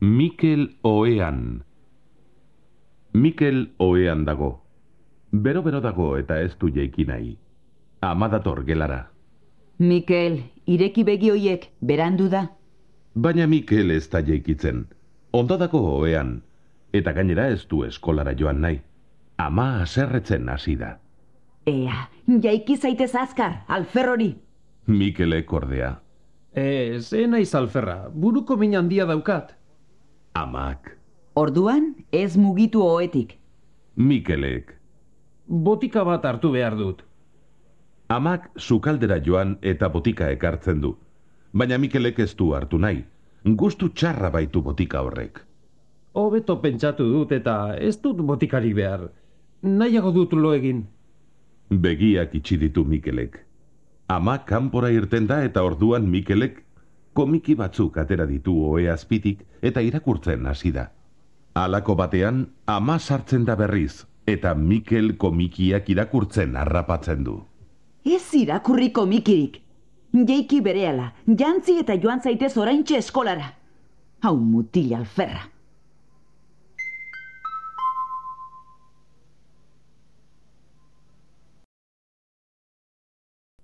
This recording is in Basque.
Mikel ohean. Mikel ohean dago. Bero-bero dago eta ez du jaiki nahi. Ama dator gelara. Mikel, ireki begi hoiek, berandu da. Baina Mikel ez da jaikitzen. Ondo dago ohean. Eta gainera ez du eskolara joan nahi. Ama haserretzen hasi da. Ea, jaiki zaitez azkar, alferrori. Mikelek ordea. Ze naiz alferra, buruko min handia daukat. Amak. Orduan, ez mugitu ohetik. Mikelek. Botika bat hartu behar dut. Amak sukaldera joan eta botika ekartzen du. Baina Mikelek ez du hartu nahi. Gustu txarra baitu botika horrek. Hobeto pentsatu dut eta ez dut botikari behar. Nahiago dut lo egin. Begiak itxi ditu Mikelek. Amak kanpora irten da eta orduan Mikelek komiki batzuk atera ditu ohe azpitik eta irakurtzen hasi da. Halako batean, ama sartzen da berriz, eta Mikel komikiak irakurtzen harrapatzen du. Ez irakurri komikirik. Jaiki berehala, jantzi eta joan zaitez oraintxe eskolara. Hau mutil alferra.